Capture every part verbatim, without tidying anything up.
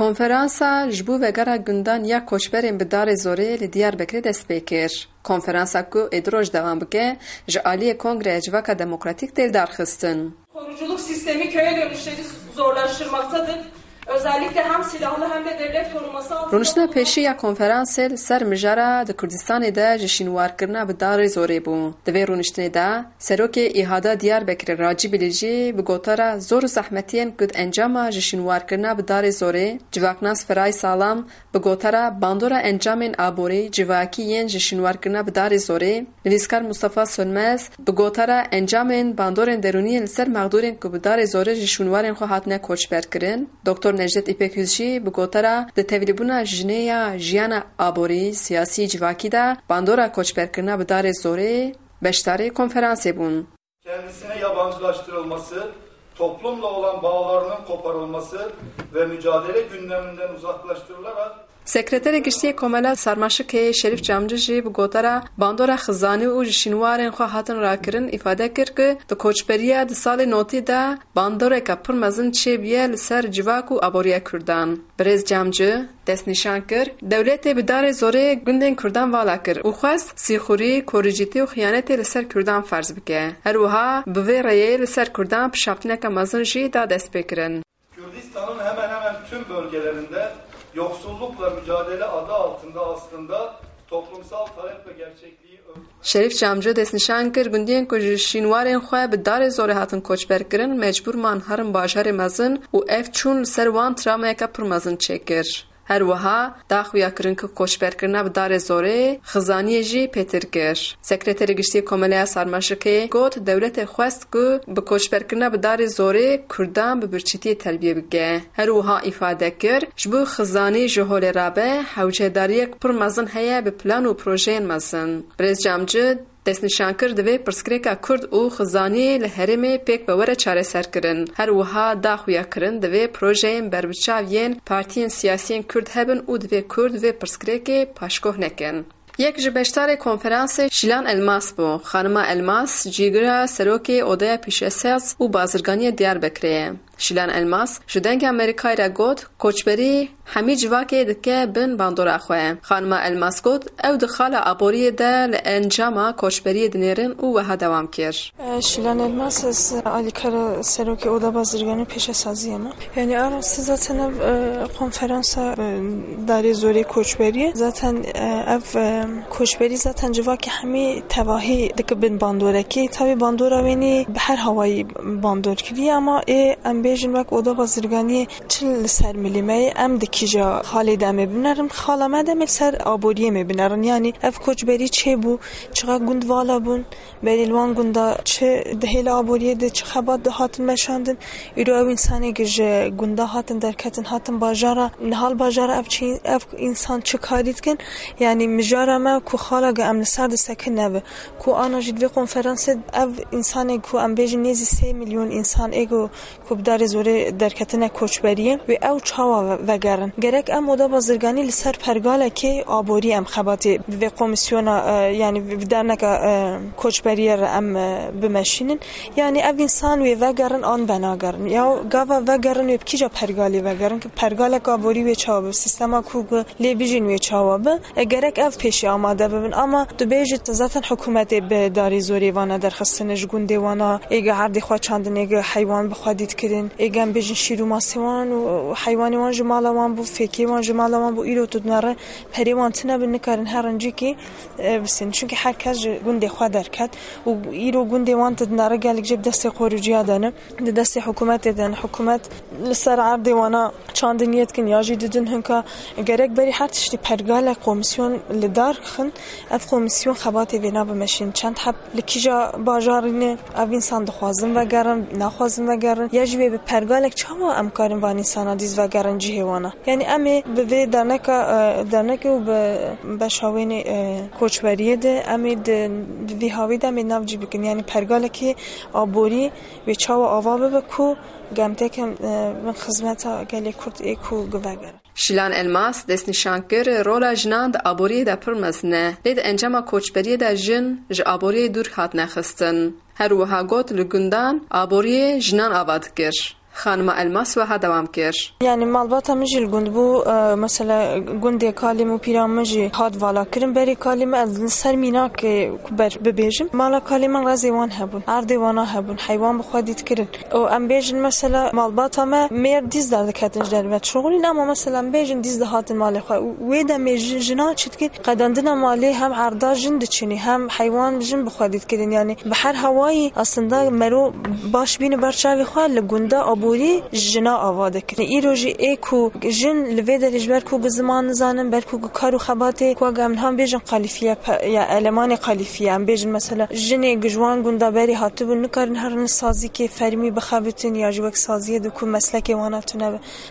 Konferansa ji bo vegera gundan ya koçberên bi darê zorê li Diyarbekirê dest pê kir. Konferansa ku ê du roj dewam bike, ji aliyê Kongreya Civaka Demokratîk tê lidarxistin. Koruculuk sistemi köye dönüşleri zorlaştırmaktadır. Özellikle hem silahlı hem de devlet koruması altında Rûniştina pêşî ya konferansê li ser mijara di Kurdistanê de ji şînwarkirina bi darê zorê bû. Di vê rûniştinê de Serokê Îhada Diyarbekirê Racî Bilîcî bi gotara zor û zehmetiyên ku di encama ji şînwarkirina bi darê zorê, civaknas Feray Salam bi gotara bandora encamên aborî civakî yên ji şînwarkirina bi darê zorê, nivîskar Mustafa Sönmez bi gotara encamên bandorên derûnî yên li ser mexdûrên ku bi darê zorê ji şûnwarên xwe hatine koçberkirin, Doktor Necdet Îpek Hüz jî bi gotara di tevlîbûna jinê ya jiyana aborî, siyasî, civakî de bandora koçberkirina bi darê zorê beşdarê konferansê bûn. Kendisine yabancılaştırılması, toplumla olan bağlarının koparılması ve mücadele gündeminden uzaklaştırılarak Sekreterê Giştî yê Komela Sarmaşikê Şerîf Camcî jî bi gotara bandora xizanî û ji şînwarên xwe hatin rakirin îfade kir ku di koçberiya di salê notî de bandoreke pir mezin çêbûye li ser civak û aboriya Kurdan. Birêz Camcî destnîşan kir, dewletê bi darê zorê gundên Kurdan vala kir û xwest sîxurî, koricîtî û xiyanetê li ser Kurdan ferz bike. Her wiha bi vê rêyê li ser Kurdan pişaftineke mezin jî da destpêkirin. Kürdistan'ın hemen hemen tüm bölgelerinde yoksullukla mücadele adı altında aslında toplumsal talep ve gerçekliği Şerîf Camcî destnîşan kir, gundiyên ku ji şînwarên xwe bi darê zorê hatin koçberkirin, mecbûr man herin bajarê mezin û ev çûn li ser wan travmayeke pir mezin çêkir. Her wiha da xuya kirin ku koçberkirina bi darê zorê xizaniyê jî pêtir kir. Sekreterê Giştî yê Komeleya Sarmaşikê got, dewletê xwest ku bi koçberkirina bi darê zorê Kurdan bi birçîtiyê terbiye bike. Her wiha îfade kir, ji bo xizanî ji holê rabe hewcedariyek pir mezin heye bi plan û projeyên mezin. Birêz Camcî destnîşan kir, divê pirsgirêka Kurd û xizanî li herêmê pêk ve were çareserkirin. Her wiha da xuya kirin, divê projeyên berbiçav yên partiyên siyasiyên Kurd hebin û divê Kurd vê pirsgirêkê paşkoh nekin. Yek ji beşdarê konferansê Şîlan Elmas bû. Xanima Elmas cîgira serokê Odeya Pîşesaz û Bazirganiyê Diyarbekirê ye. Şîlan Elmas ji Dengê Amerîkayê re got, koçberî hemî civakê dike bin bandora xwe. Xanima Elmas got, ew di xala aboriyê de li encama koçberiyê dinêrin û wiha dewam kir. Şîlan Elmas, ez alîkara serokê Oda Bazirganî û Pêşesaziyê me. Yani a rastî zaten ev, e, konferansa, e, darê zorê koçberiyê. Zaten, e, ev, e, koçberî zaten civakê hemî tevahî dike bin bandorekî. Tabi bandora wênî bi her hawayî bandor kiriye, ama ê em bêjin wek Oda Bazirganiyê çi li ser milî me ye, em di kîja xalê de em ê binerin, xala me de em ê li ser aboriyê em ê binerin. Yani ev koçberî çê bû, çiqa gund vala bûn, berê li wan gunda çi di hêla aboriyê de çi xebat dihatin meşandin. Îro ew însanê ku ji gunda hatin derketin, hatin bajara, niha li bajara ev çi, ev însan çi karî dikin? Yani mijara me ku xala ku em li ser disekin nebe. Ku ana jî di vê konferansê ev însanê ku em bêjin nêzî sê milyon însan ê ku, ku bi darê zorê derketine koçberiyê, wê ew çawa ve-, vegerin? Gerek em Oda Bazirganî li ser pergalekê aborî em xebatê bi vê komîsyona, e, yani bi derneka, e, koçberiyê re em, e, bimeşînin. Yani ev însan wê vegerin an venagerin. Ya gava vegerin wê bi kîja pergalê vegerin? Ki pergalek aborî wê çawa be? Sîstema ku lê bijîn wê çawa be? E, gerek ev pêşî amade bibin. Ama tu bêjî zaten hikûmetê bi darê zorê vana derxistine ji gundê wana, êge erdê xwe çandin, êge heywan bi xwe dît kirin, êge em bêjin şîr û masê wan û heywanê wan ji mala wan bû, fêkê wan ji mala wan bû, îro tu dinere perê wan tine bin, nikarin her rincîkî, e, bisin. Çunkî her kes ji gundê xwe derket û îro gundê wan tu dinere gelek jê bi destê xorûciya de ne, di destê hikûmetê de ne. Hikûmet li ser erdê wana çandiniyê dikin ya jî didin hinka. Gerek berî her tiştî pergalek, komîsyon li dar xin, ev komîsyon xebatê vêna bimeşîn. Çend heb li kîja bajarî ne, ev însan dixwazin vegerin, naxwazin vegerin, ya jî wê bi pergalek çawa em karin van însana dîz vegerin cihê wana? Yani em ê bi vê derneka, e, dernekê û bi beşa wênê, e, koçberiyê de em ê di, di vî hawî de em ê navcî bikin. Yani pergalekê aborî wê çawa ava bibe ku gemteke, e, bin xizmeta gelê Kurd ê ku givegerin. Şilan Elmas destnîşan kir, rola jinan di aboriyê de pir mezin e, lê di encama koçberiyê de jin ji aboriyê dûr hatine xistin. Her wiha got, li gundan aboriyê jinan ava dikir. Xanima Elmas wiha dewam kir. Yani malbata min jî li gund bû, e, mesela gundê kalê min û pîra min jî hat vala kirin berê kalê min, ez li ser mînakê ku ber bibêjim. Mala kalê min rezê wan hebûn, erdê wana hebûn, heywan bi xwe dît kirin. Û em bêjin mesela malbata me mêr dîz derdiketin ji derve dişuxulîn, ama mesela em bêjin dîz dihatin malê xwe. Û wê demê ji-, jinan çi dikin? Qedandina malê hem erda jin diçinî, hem heywan jin bi xwe dît kirin. Yani bi her hawayî aslında mero baş bîne ber çavê xwe, li gunda aborî jina ava dikin. Îro jî ê ku jin li vê derê ji ber ku ku ziman nizanin, ber ku ku kar û xebatê ku em niha bêjin qalifiye, pe-, ya elemanê qalifiye, em bêjin mesela jinê ku ji wan gunda berê hatibûn nikarin herin sazîkê fermî bixebitin ya jî wek saziyê di ku meslekê wana tune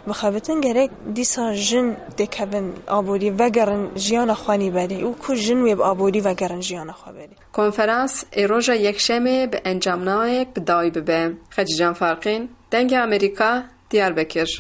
bixebitin, gerek dîsa jin têkevin aborî, vegerin jiyana xwe nî berê û ku jin wê bi aborî vegerin jiyana xwe berê. Konferans ê roja Yekşemê bi encamnameyek bi dawî bibe. Xecîcan Farqîn, Dengê Amerîka, Diyarbekir.